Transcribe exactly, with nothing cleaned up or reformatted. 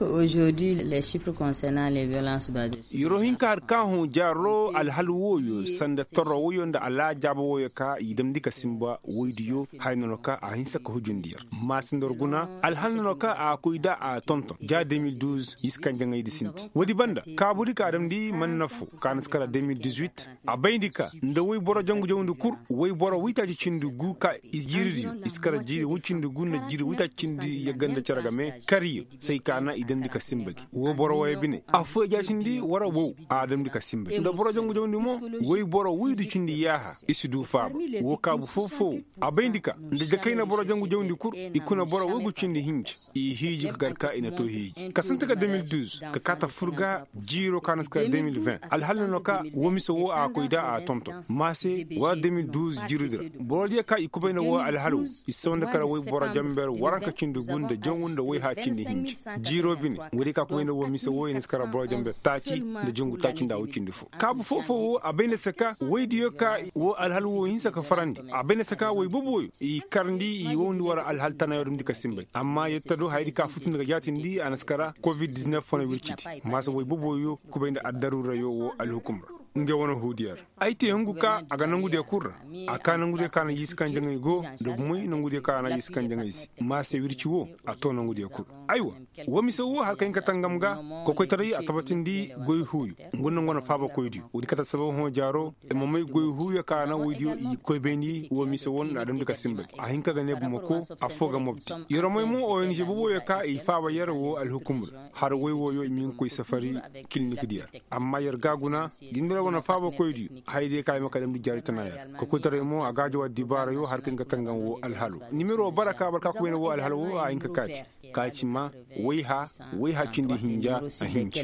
Aujourd'hui les chiffres concernant les violences basées. Yeroo hin ka har ka hõ jaaroo alhal wooyo sanda torro wooyo nda alaajaaba wooyo ka i damndi ka sinba woydiyo haya nono ka a hinsa ka hujundi yer. Maasi nda war guna alhal nono ka a koy da a tonton ja de mil duuz i si kaŋ jaŋaydi sinti woodi banda kaabudi ka a damndi man nafo ka na si kara de mil dizuit. A bayndi ka nda woy boro jangu jawndi kul woy boro woytaaci cindi gu ka jiiridiyo i si kara jiiri woy cindi gu nda jiiri woytaaci cindi yagga nda cere game kariyo say ka na i damndi ka sinba gi woo boro wooyo bine affooyo jaasindi war a wow a damndi ka sinba gi nda boro jangu jawndi mo woy boro woydu cindi yaaha i si du faaba woo kaabu foo-foo a bayndi ka nda jakayna boro jangu jawndi kul i kuna boro woygu cindi hinja i hiiji ka gar ka i na too hiiji ka sinti ka de mil duuz ka kaa ta fur ga jiiroo ka na si ka de mil vint alhal na no ka woo mise woo a koy da a tonton maase war de mil duuz jiiridi ra boro diyo ka i kubayna woo alhal woo i si sawandi kala woy boro jamber waranka cindi gu nda jangu nda woy haa cindi hinja jiiroo bine woodiyo ka kubayna woo mise woo i na si kala boro jamber taaci nda jangu taaci nda a woy cindi foo kaabu foo-foo woo a bay nda se ka woydiyo ka woo alhal woo hinsa ka farandi a bay nda se ka woy boboyo i karndi i wowndi war alhal tanayo dumndi ka sinbay amma yetta do hayadi ka futundi ga jaatindi a na si kara covid diznef wane wircidi maasa woy boboyo kubay nda addaruurayo woo alhukum ra ngey wane huudiyo ra ay te hungu ka a ga nangudiyo kul ra a kaa nangudiyo ka na jiisi kaŋ jaŋay go nda bumey nangudiyo ka na jiisi kaŋ jaŋay se maasa wirci woo a too nangudiyo kul aywa woo mise woo har ka hin ka tangam ga kokoytaray a tabatindi goy huuyo ngu nda ngu wane faabakoydiyo woodi kate assabab hõ jaaro i ma may goy huuyo ka na woydiyo i koy bayndi woo mise woo nda a damndi ka sinba gi a hin ka ga ne bumako affoo ga mobti yer may mo ong boboyo ka i faaba yer woo alhukumur har woy wooyo i ma hin ka koy safari kilinik diyo ra amma yer ga a guna jinbirey wane faabakoydiyo hayadiyo ka i ma ka damndi jaari tana yer kokoytaray mo a ga a jaw addibaarayo har ka hin ka tangam woo alhalo nimero bara ka bara ka koyne woo alhalo woo a hin ka kaati ka ci ma wayha wayha cindi hinja a hinci.